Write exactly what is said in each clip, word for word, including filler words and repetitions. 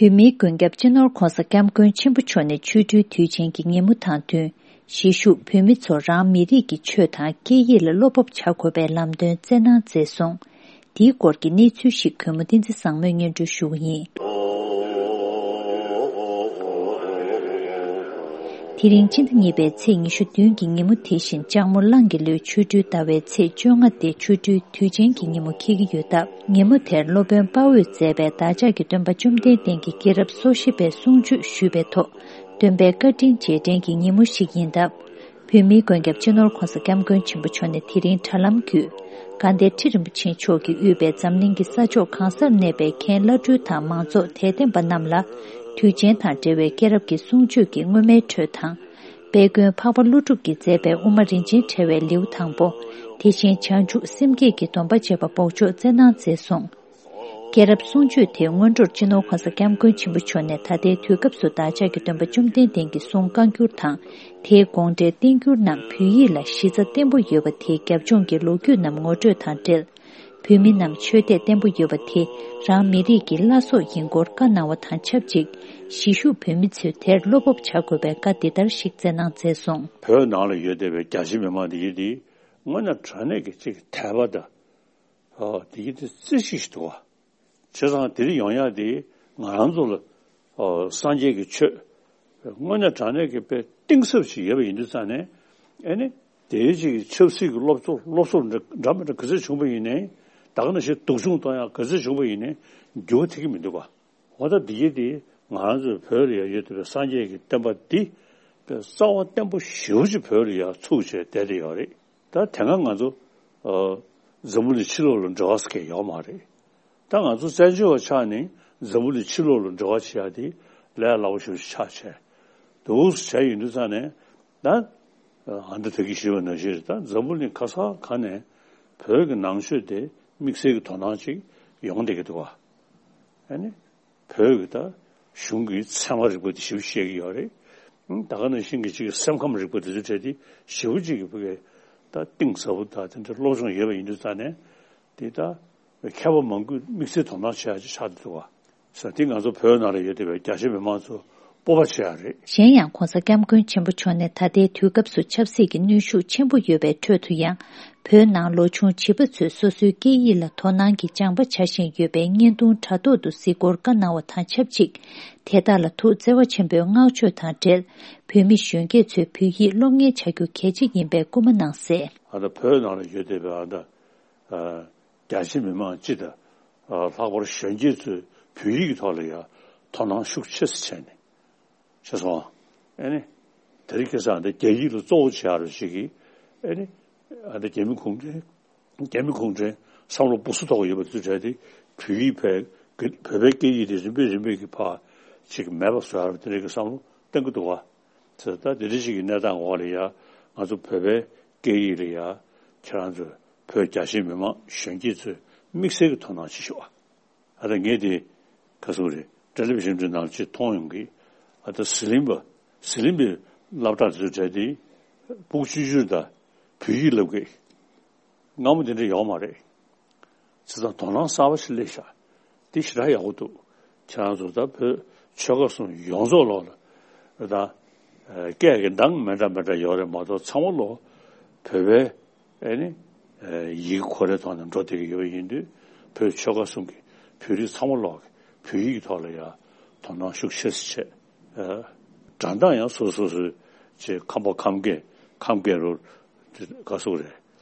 བོད་མིའི་མགོན་སྐྱབས་སྤྱི་ནོར་༧གོང་ས་༧སྐྱབས་མགོན་ཆེན་པོ་མཆོག་ནས་ཆོ་འཕྲུལ་དུས་ཆེན་གྱི་ཉིན་མོ་དང་བསྟུན། གཞིས་བཞུགས་བོད་མི་ཚོར་རང་མི་རིགས་ཀྱི་ཆོས་དང་སྐད་ཡིག་ལ་བློ་སྤོབས་བྱ་དགོས་པའི་ལམ་སྟོན་བསྩལ་གནང་མཛད་སོང་། དེའི་སྐོར་གྱི་གནས་ཚུལ་ཞིག་གུས་མོ་བསྟན་འཛིན་བཟང་མོས་སྙན་སྒྲོན་ཞུ་གི་ཡིན། དེ་རིང་སྤྱི་ཟླ་གཉིས་པའི་ཚེས་ཉི་ཤུ་བདུན་གྱི་ཉིན་མོ་དེ་བཞིན་ལྕགས་མོ་གླང་གི་ལོའི་ཆོ་འཕྲུལ་ཟླ་བའི་ཚེས་བཅོ་ལྔ་སྟེ་ཆོ་འཕྲུལ་དུས་ཆེན་གྱི་ཉིན་མོ་འཁེལ་གྱི་ཡོད་སྟབས། ཉིན་མོ་དེར་སློབ་དཔོན་དཔའ་བོས་མཛད་པའི་བདག་ཅག་གི་སྟོན་པ་བཅོམ་ལྡན་འདས་ཀྱི་སྐྱེས་རབས་སོ་བཞི་པའི་གསུང་ཆོས་ཞུས་པའི་ཐོག་སྟོན་པའི་བཀའ་དྲིན་རྗེས་དྲན་གྱི་ཉིན་མོ་ཞིག་ཡིན་སྟབས། བོད་མིའི་མགོན་སྐྱབས་སྤྱི་ནོར་༧གོང་ས་༧སྐྱབས་མགོན་ཆེན་པོ་མཆོག་ནས་དེ་རིང་དྲ་ལམ་བརྒྱུད། དགའ་ལྡན་ཁྲི་རིན་པོ་ཆེ་མཆོག་གིས་དབུས་པའི་འཛམ་གླིང་གི་ས་ཕྱོགས་གང་སར་གནས་པའི་མཁན་བླ་སྤྲུལ་དང་མང་ཚོགས་དད་ལྡན་པ་རྣམས་ལ། དུས་ཆེན་དང་འབྲེལ་བའི་སྐྱེས་རབས་ཀྱི་གསུང་ཆོས་ཀྱི་སྔོན་མའི་འཕྲོས་དང་། དཔལ་མགོན་འཕགས་པ་ཀླུ་སྒྲུབ་ཀྱིས་མཛད་པའི་དབུ་མ་རིན་ཆེན་ཕྲེང་བའི་ལེའུ་དང་པོ། དེ་བཞིན་བྱང་ཆུབ་སེམས་བསྐྱེད་ཀྱི་སྡོམ་པ་བཅས་པ་འབོགས་ཆོག་སྩལ་གནང་མཛད་སོང་། སྐྱེས་རབས་གསུང་ཆོས་དེའི་སྔོན་འགྲོར་སྤྱི་ནོར་༧གོང་ས་༧སྐྱབས་མགོན་ཆེན་པོ་མཆོག་ནས་ད་ལྟའི་དུས་སྐབས་སུ་བདག་ཅག་གི་སྟོན་པ་བཅོམ་ལྡན་འདས་ཀྱི་གསུང་བཀའ་འགྱུར་དང་། དེའི་དགོངས་འགྲེལ་བསྟན་འགྱུར་རྣམས་བོད་ཡིག་ལ་གཞི་རྩ་བརྟན་པོ་ཡོད་པ་དེའི་རྒྱབ་ལྗོངས་ཀྱི་ལོ་རྒྱུས་རྣམས་ངོ་སྤྲོད་དང་འབྲེལ། བོད་མི་རྣམས་ཆོས་དད་བརྟན་པོ་ཡོད་པ་དེ་རང་མི་རིགས་ཀྱི་བླ་སྲོག་ཡིན་སྐོར་བཀའ་གནང་བ་དང་ཆབས་ཅིག་གཞིས་བཞུགས་བོད་མི་ཚོས་དེར་བློ་སྤོབས་བྱ་དགོས་པའི་བཀའ་འདི་ལྟར་ཞིག་སྩལ་གནང་མཛད་སོང་། བོད་ནང་ལ་ཡོད་བསྡད་པའི་རྒྱ་ཆེ་མི་མང་འདི་ཡིན་ཏེ། དངོས་གནས་དྲང་གནས་ཀྱི་ཅིག་དད་པ་དང་། ཨོ། དེ་ཡིན་དུས་རྩེ་གཅིག་ཞིག་འདུག་བ། བྱས་ཙང་དེ་རིང་ཡོང་ཡག་དེ་ང་རང་ཚོ་ལ། ཨོ། སངས་རྒྱས་ཀྱི་ཆོས་དངོས་གནས་དྲང་གནས་ཀྱི་དཔེ་གཏིང་ཟབ་ཞིག་ཡོད་པ་ཡིན་དུས་ཙང་ནས། ཨེ་ནི། དེའི་ཅིག་ཆབ་སྲིད་ཀྱི་སློབ་གསོ་སློབ་གསོ་འདྲ་འདྲ་མི་འདྲ་ག་ཚོད་བྱུང་པ་ཡིན་ནའི། ད་ག་ནང་བཞིན་སྡུག་སྦྱོང་གཏོང་ཡག་ག་ཚོད་བྱུང་པ་ཡིན་ནའི་འགྱུར་བ་ཐེབས་ཀྱི་མི་འདུག་བ། འོ་ད་འདི་གྱད་དེ་ང་རང་ཚོའི་བོད་ལ་ཡང་ཡོད་བསྡད་པའི་སངས་རྒྱས་ཀྱི་བསྟན་པ་འདི་དཔེ་རྩ་བ་བརྟན་པོ་ཞེ་པོ་ཅིག་བོད་ལ་ཡང་ཚུགས་བྱས་བསྡད་བསྡད་ཡོད་རེད། ད་དེ་སྔ་ང་ཚོ་ཨ་འཛམ་བུ་གླིང་ཕྱི་ལོགས་ལ་འབྲེལ་བ་ཟེར་མཁན་ཡོད་མ་རེད། ད་ང་ཚོ་བཙན་བྱོལ་བ་ཆགས་ནས་འཛམ་བུ་གླིང་ཕྱི་ལོགས་ལ་འབྲེལ་བ་བྱེད་ཡག་དེ་ལས་སླ་པོ་ཞེ་པོ་ཅིག་ཆགས་བྱས་འདུག་བྱས་ཡོང་དུས་ཙང་ནས། ད་ཨ་ད་ད་གིན་ཞུས་པ་ནང་བཞིན་རེད། ད་འཛམ་བུ་གླིང་ག་ས་ག་ནས་བོད་ཀྱི་ནང་ཆོས་དེ་དམིགས་བསལ་གྱི་དོ་སྣང་ཅིག་ཡོང་བསྡད་ཀྱི་འདུག་བ། ཨ་ནི། བོད་ཀྱི་ད་གཞུང་གི་ཚད་མ་རིག་པ་དེ་ཞིབ་བཤད་ཀྱི་ཡོད་རེད། ཨང་། ད་ག་ནང་བཞིན་གྱི་ཅིག་སེམས་ཁམས་རིག་པ་དེ་ཚོའི་གྲས་དེ་ཞེ་པོ་ཅིག་གི་བོད་ཀྱི་ད་གཏིང་ཟབ་པོ་དང་དེ་འདྲ་སློབ་སྦྱོང་ཡོད་པ་ཡིན་དུས་ཙང་ནས། དེ་ད་མཁས་པ་མང་པོས་དམིགས་བསལ་དོ་སྣང་བྱེད་ཡག་ཅིག་ཆགས་བསྡད་འདུག་བ། ས་དེ་ང་ཚོ་བོད་ནང་ལ་ཡོད་བསྡད་པའི་རྒྱ་ཆེ་མི་མང་ཚོ་སྤོབས་པ་བྱེད་ཡག་རེད། གཞན་ཡང་༧གོང་ས་༧སྐྱབས་མགོན་ཆེན་པོ་མཆོག་ནས་ད་ལྟའི་དུས་སྐབས་སུ་ཆབ་སྲིད་ཀྱི་གནོན་ཤུགས་ཆེན་པོ་ཡོད་པའི་ཁྲོད་དུ་ཡང་། བོད་ནང་ལོ་ཆུང་བྱིས་པ་ཚོས་སོ་སོའི་སྐད་ཡིག་ལ་དོ་སྣང་གིས་སྦྱངས་པ་བྱ་བཞིན་ཡོད་པའི་བརྙན་ཐུང་དྲ་ཐོག་ཏུ་གཟིགས་སྐོར་བཀའ་གནང་བ་དང་ཆབས་ཅིག་དེ་དག་ལ་ཐུགས་བརྩེ་བ་ཆེན་པོས་བསྔགས་བརྗོད་དང་འབྲེལ། བོད་མི་གཞོན་སྐྱེས་ཚོས་བོད་ཡིག་སློབ་གཉེར་བྱ་རྒྱུ་གལ་ཆེ་ཡིན་པའི་སྐུལ་མ་གནང་གསལ། ཨ་ད་བོད་ནང་ལ་ཡོད་བསྡད་པའི་ཨ་ད། ཨ། རྒྱ་ཆེ་མི་མང་སྤྱི་དང་། ཨ། ལྷག་པར་གཞོན་སྐྱེས་ཚོས་བོད་ཡིག་གི་ཐོག་ལ་ཡང་དོ་སྣང་ཤུགས་ཆེ་ཙམ་བྱས་ནས། བྱས་སོང་། ཨ་ནི། དེ་རིང་ཁ་སང་འདི་རྒྱ་ཡིག་ལ་གཙོ་བོ་བྱེད་ཡག་རུ་ཞིག་གིས། ཨ་ནི། ཨ་ནི་རྒྱ་མི་གུང་ཁྲན། རྒྱ་མི་གུང་ཁྲན་བསམ་བློ་སྦུག་སུ་ཐོག་ཡོད་པ་དེ་ཚོ་གྲས་དེ་བོད་ཡིག་བོད་བོད་པའི་སྐད་ཡིག་དེ་རིམ་པས་རིམ་པས་ཀྱིས་ཕར་ཅིག་མེད་པ་བཟོ་ཡག་རུ་དེ་འདྲའི་གི་བསམ་བློ་གཏོང་གི་འདུག་བ། ད་དེ་འདྲ་ཞིག་གི་གནས་སྟངས་འོག་ལ་ཡ། ང་ཚོ་བོད་པའི་སྐད་ཡིག་ལ་ཡ། ཁྱེད་རང་ཚོ་བོད་རྒྱ་ཆེ་མི་མང་གཞོན་སྐྱེས་ཚོས་དམིགས་བསལ་གྱི་དོ་སྣང་བྱེད་ཤོག་ཨ། ཨ་ད་ངས་དེ་ག་ཟེར་དགོས་རེད། ཊེ་ལི་བི་ཤན་དེ་ནང་ཅིག་མཐོང་ཡོང་གི། ཨ་ད་ཟི་ལིང་པ། ཟི་ལིང་པའི་སློབ་གྲྭ་དེ་ཚོ་གྲས་དེ་སྦུག་ཆུང་ཆུང་དང་བོད་ཡིག་སློབ་གི། སྔ་མོ་དེ་འདྲ་ཡོད་མ་རེད། བྱས་ཙང་དོ་སྣང་གསར་པ་ཞིག་སླེབས་ཤག་དེ་ཞེ་དྲག་ཡག་པོ་འདུག་ཁྱེད་རང་ཚོ་ད་བོད་ཆོལ་ཁ་གསུམ་ཡོངས་རྫོགས་ལོག་ལ། ད་སྐད་ཀྱི་གདངས་མི་འདྲ་མི་འདྲ་ཡོད་རེད་མ་གཏོགས་ཚང་མ་ལོག་བོད་པའི་ཨེ་ནི་ཡི་གེ་ཁོ་རའི་ཐོག་ནས་འགྲོ་བསྡད་ཀྱི་ཡོད་པ་ཡིན་དུས། བོད་ཆོལ་ཁ་གསུམ་གྱི་བོད་རིགས་ཚང་མ་ལོག་བོད་ཡིག་གི་ཐོག་ལ་ཡ་དོ་སྣང་ཤུགས་ཆེ་ཙམ་བྱས། སྒྲ་གདངས་ཡང་སོ་སོ་སོའི་ཅིག་ཁམས་པ་ཁམས་སྐད་ཁམས་སྐད་རུ་ག་ཟེར་དགོས་རེད།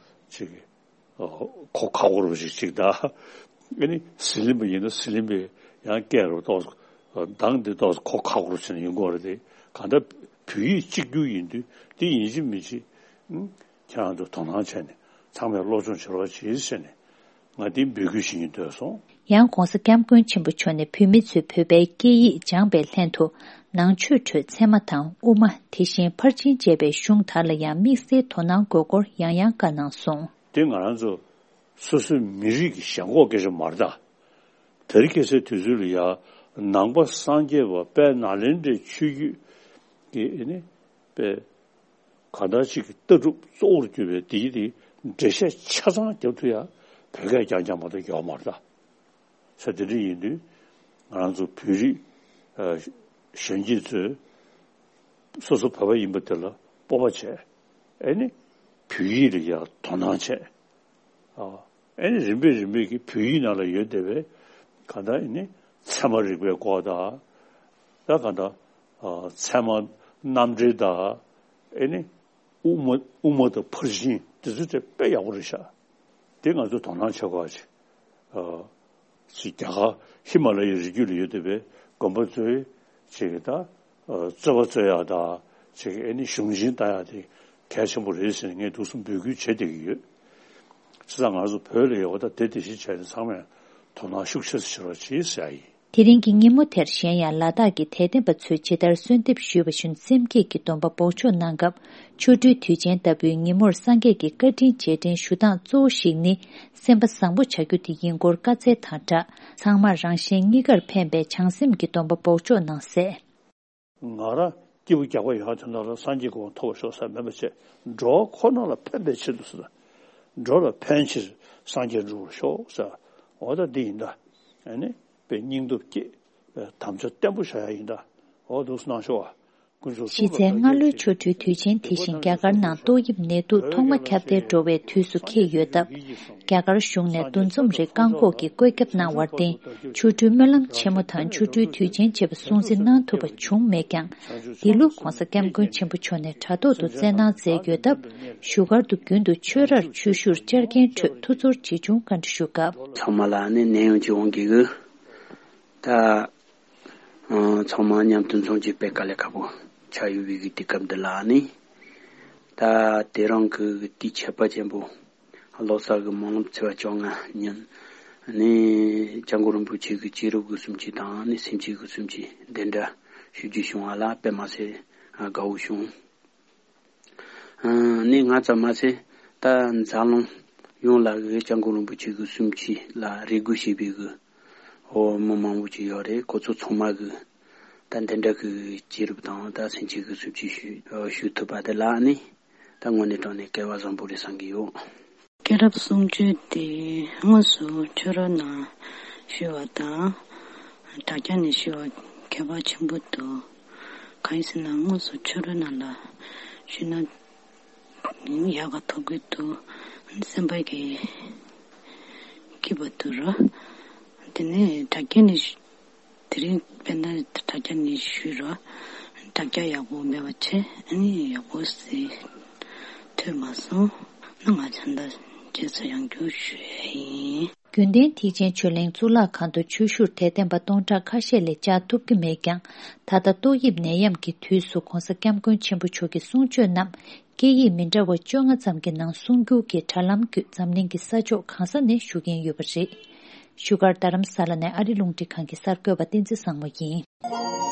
ཅིག་གོ་ཁག་པོ་རུ་ཞིག་ཅིག་ད། ཨ་ནི་ཟི་ལིང་པ་ཡིན་ན་ཟི་ལིང་པའི་ཡང་སྐད་རུ་ཏོག་ཙམ་གདངས་འདི་ཏོག་ཙམ་གོ་ཁག་པོ་རུ་བྱས་ནས་ཡོང་གི་ཡོད་རེད་དེ། གང་ལྟར་བོད་ཡིག་གཅིག་གྱུར་ཡིན་དུས་འདི་ཡིན་གཅིག་མིན་གཅིག་ཨུམ། ཁྱེད་རང་ཚོ་དོ་སྣང་བྱས་ནས་ཚང་མས་སློབ་སྦྱོང་བྱེད་རོགས་བྱེད་ཟེར་ནས་ང་འདི་འབོད་སྐུལ་ཞུ་སྙིང་འདོད་སོང་། ཡང་༧གོང་ས་༧སྐྱབས་མགོན་ཆེན་པོ་མཆོག་ནས་བོད་མི་ཚོས་བོད་པའི་སྐད་ཡིག་སྦྱངས་པའི་ལྷན་དུ་ནང་ཆོས་ཁྲོད་ཚད་མ་དང་དབུ་མ། དེ་བཞིན་ཕར་ཕྱིན་བཅས་པའི་གཞུང་དག་ལ་ཡང་དམིགས་བསལ་དོ་སྣང་དགོས་སྐོར་ཡང་ཡང་བཀའ་གནང་སོང་། དེ་ང་རང་ཚོ་སོ་སོའི་མི་རིགས་ཀྱི་ཞེན་ཁོག་སྐད་ཆ་མ་རེད་ད། དེ་རིང་ཁ་སང་དུས་ཚོད་ལ་ཡ་ནང་པ་སངས་རྒྱས་པ་དཔལ་ནཱ་ལེནྡྲའི་ཆོས་བརྒྱུད་ཀྱི་ཨེ་ནི་དཔེ་གང་ལྟར་ཅིག་གི་ལྟ་གྲུབ་གཙོ་བོར་གྱུར་པའི་དེའི་དེ་འགྲེལ་བཤད་ཆ་ཚང་རྒྱབ་ཐུབ་ཡ་བོད་སྐད་རྐྱང་རྐྱང་མ་གཏོགས་ཡོད་མ་རེད་ད། ས་དེ་འདྲ་ཡིན་དུས་ང་རང་ཚོ་བོད་རིགས་ ཨ་གཞོན་སྐྱེས་ཚོས་སོ་སོ་བོད་པ་ཡིན་པ་དེ་ལ་སྤོབས་པ་བྱས། ཨེ་ནི་བོད་ཡིག་ལ་ཡང་དོ་སྣང་བྱས། ཨ་ཨེ་ནི་རིམ་པས་རིམ་པས་ཀྱི་བོད་ཡིག་ནང་ལ་ཡོད་བསྡད་པའི་གང་ལྟར་ཨེ་ནི་ཚད་མ་རིག་པའི་སྐོར་དང་། ད་གང་ལྟར་ཨ་ཚད་མ་རྣམ་འགྲེལ་དང་། ཨེ་ནི་དབུ་མ་དབུ་མ་དང་ཕར་ཕྱིན་དེ་ཚོ་དེ་དཔེ་ཡག་པོ་རེད་ཤག་དེ་ང་ཚོ་དོ་སྣང་བྱེད་དགོས་ཅིག་ཨ་ཅིག་རྒྱ་གར་ཧི་མ་ལ་ཡའི་རི་རྒྱུད་ལ་ཡོད་བསྡད་པའི་དགོན་པ་ཚོའི་ཅིག་ད་ཨ་རྩོད་པ་རྩོད་ཡག་དང་ཅིག་ཨེ་ནི་གཞུང་ཆེན་ལྟ་ཡག་དེ་གལ་ཆེན་པོ་རེད་ཟེར་ནས་ངས་འདུག་སེ་འབོད་སྐུལ་བྱེད་བསྡད་ཀྱི་ཡོད། བྱས་ཙང་ང་ཚོ་བོད་ལ་ཡོད་པ་ད་དེ་དེ་བཞིན་བྱས་ནས་ཚང་མས་དོ་སྣང་ཤུགས་ཆེ་ཙམ་བྱེད་རོགས་གྱིས་ཟེར་ཡ་ཡིན། དེ་རིང་གི་ཉིན་མོ་དེར་གཞན་ཡང་ལ་དྭགས་ཀྱི་དད་ལྡན་པ་ཚོས་ཇི་ལྟར་གསོལ་འདེབས་ཞུས་པ་བཞིན་སེམས་བསྐྱེད་ཀྱི་སྡོམ་པ་འབོགས་ཆོག་གནང་སྐབས། ཆོ་འཕྲུལ་དུས་ཆེན་ལྟ་བུའི་ཉིན་མོར་སངས་རྒྱས་ཀྱི་བཀའ་དྲིན་རྗེས་དྲན་ཞུ་སྟངས་གཙོ་བོ་ཞིག་ནི་སེམས་པ་བཟང་པོ་བྱ་རྒྱུ་དེ་ཡིན་སྐོར་བཀའ་སྩལ་དང་སྦྲགས། ཚང་མར་རང་གཞན་གཉིས་ཀར་ཕན་པའི་བྱང་སེམས་ཀྱི་སྡོམ་པ་འབོགས་ཆོག་གནང་གསལ། ང་རང་སྐྱིད་པོ་རྒྱག་པ་ཡོང་དོན་དག་ལ་སངས་རྒྱས་ཀྱི་དབང་ཐོབ་པར་ཤོག་ཟེར་མེད་པ་བྱས། འགྲོ་བ་ཁོ་ན་ལ་ཕན་པའི་ཆེད་དུ་ཟེར། འགྲོ་ལ་ཕན་ཕྱིར་སངས་རྒྱས་འགྲུབ་པར་ཤོག་ཟེར། འོ་ད་འདི་ཡིན་ད། ཨ་ནི་དཔེ་སྙིང་སྟོབས་བསྐྱེད། དམ་བཅའ་བརྟན་པོ་བཞག་ཡ་ཡིན་ད། འོ་འདུག་སེ་གནང་ཤོག་ཨ། དཀོན་མཆོག་གསུམ་ལ་བཀའ་དྲིན་ཆེ། གཞི་རྩའི་སྔ་ལོའི་ཆོ་འཕྲུལ་དུས་ཆེན་དེ་བཞིན་རྒྱ་གར་ནང་ཏོག་དབྱིབས་ནད་དུག་ཐོག་མ་ཁྱབ་གདལ་འགྲོ་བའི་དུས་སུ་འཁེལ་ཡོད་སྟབས། རྒྱ་གར་གཞུང་ནས་འདུ་འཛོམས་རིགས་བཀག་འགོག་གི་བཀོད་ཁྱབ་གནང་བར་བརྟེན། ཆོ་འཕྲུལ་སྨོན་ལམ་ཆེན་མོ་དང་ཆོ་འཕྲུལ་དུས་ཆེན་ཆེད་པ་སྲུང་བརྩི་གནང་ཐུབ་པ་བྱུང་མེད་ཀྱང་། འདི་ལོ་༧གོང་ས་༧སྐྱབས་མགོན་ཆེན་པོ་མཆོག་ནས་དྲ་ཐོག་ཏུ་སྩལ་གནང་མཛད་ཡོད་སྟབས། བཞུགས་སྒར་དུ་རྒྱུན་དུ་ཆོས་རར་ཆོས་ཞུར་བཅར་མཁན་ཁྲོད་ཐུགས་ཚོར་ཇི་བྱུང་བཀའ་འདྲི་ཞུ་སྐབས། ཚང་མ་ལ་ནི་ནད་ཡམས་ཀྱི་དབང་གིས་གི། ད། ཨ་ཚང་མ་མཉམ་དུ་འཛོམས་རྒྱུ་དཔེ་དཀའ་ལས་ཁག་པོ་ཆགས་ཡོད་པའི་གི་དུས་སྐབས་འདི་ལ་ནི། ད་དེ་རིང་གི་དུས་ཁྱད་པར་ཅན་པོ། ལོ་གསར་གི་སྨོན་ལམ་ཚེས་པ་བཅོ་ལྔ་ཉིན། ནི་སྐྱབས་མགོན་རིན་པོ་ཆེ་གི་སྐྱེས་རབས་ཀྱི་གསུང་ཆོས་དང་ནི་སེམས་བསྐྱེད་ཀྱི་གསུང་ཆོས་འདི་འདྲ་ཞུ་རྒྱུ་བྱུང་བ་ལ་དཔེ་མ་སྲིད་དགའ་བོ་བྱུང་། ཨ་ནི་ང་ཙམ་མ་ཟད་ད་འཛམ་གླིང་ཡོངས་ལ་གི་སྐྱབས་མགོན་རིན་པོ་ཆེ་གི་གསུང་ཆོས་ལ་རེ་སྒུག་བྱེད་པའི་གི་འོ་མི་མང་པོ་ཅིག་ཡོད་རེད། ཁོ་ཚོ་ཚང་མ་གི་ད་འདི་འདྲ་གི་སྐྱེས་རབས་དང་ད་སེམས་བསྐྱེད་གི་གསུང་ཆོས་ཞུ་ཞུ་ཐུབ་པ་དེ་ལ་ནི་ད་དངོས་གནས་དྲང་གནས་སྐལ་བ་བཟང་པོ་རེད་བསམ་གི་ཡོད། སྐྱེས་རབས་གསུང་ཆོས་དེ་དངོས་སུ་ཆོས་ར་ནང་ཞུ་བ་དང་དྲ་རྒྱ་ནས་ཞུ་བ་ཁྱད་པར་ཆེན་པོ་འདུག་གང་ཡིན་ཟེར་ན་དངོས་སུ་ཆོས་ར་ནང་ལ་ཞུས་ན་ཡག་ག་ཐོབ་གི་འདུག་སེམས་པ་གི་སྐྱིད་པ་འདུག་ར། དེ་ནས་དྲ་རྒྱ་ནས་ཞུ། དེ་རིང་དཔེར་ན་དྲ་རྒྱ་ནས་ཞུས་ར། དྲ་རྒྱ་ཡག་པོ་མེད་པ་བྱས་ཨ་ནི་ཡག་པོ་ཟིག་ཐོས་མ་སོང་ན་ང་ཚོ་འདི་རྗེས་སུ་ཡང་བསྐྱར་ཞུ་ཡ་ཡིན། རྒྱུན་གཏན་ཐེག་ཆེན་ཆོས་གླིང་གཙུག་ལག་ཁང་དུ་ཆོས་ཞུར་དད་ལྡན་པ་སྟོང་ཕྲག་ཁ་ཤས་ལས་བཅར་ཐུབ་ཀྱི་མེད་ཀྱང་། ད་ལྟ་ཏོག་དབྱིབས་ནད་ཡམས་ཀྱི་དུས་སུ་༧གོང་ས་༧སྐྱབས་མགོན་ཆེན་པོ་མཆོག་གི་གསུང་ཆོས་རྣམས་སྐད་ཡིག་མི་འདྲ་བ་བཅོ་ལྔ་ཙམ་གྱི་ནང་གསུང་བསྒྱུར་གྱིས་དྲ་ལམ་བརྒྱུད་འཛམ་གླིང་གི་ས་ཕྱོགས་གང་ས་ནས་ཞུ་མཁན་ཡོད་པ་རེད། བཞུགས་སྒར་རྡ་རམ་ས་ལ་ནས་ཨ་རི་རླུང་འཕྲིན་ཁང་གི་གསར་འགོད་པ་བསྟན་འཛིན་བཟང་མོ་ཡིན།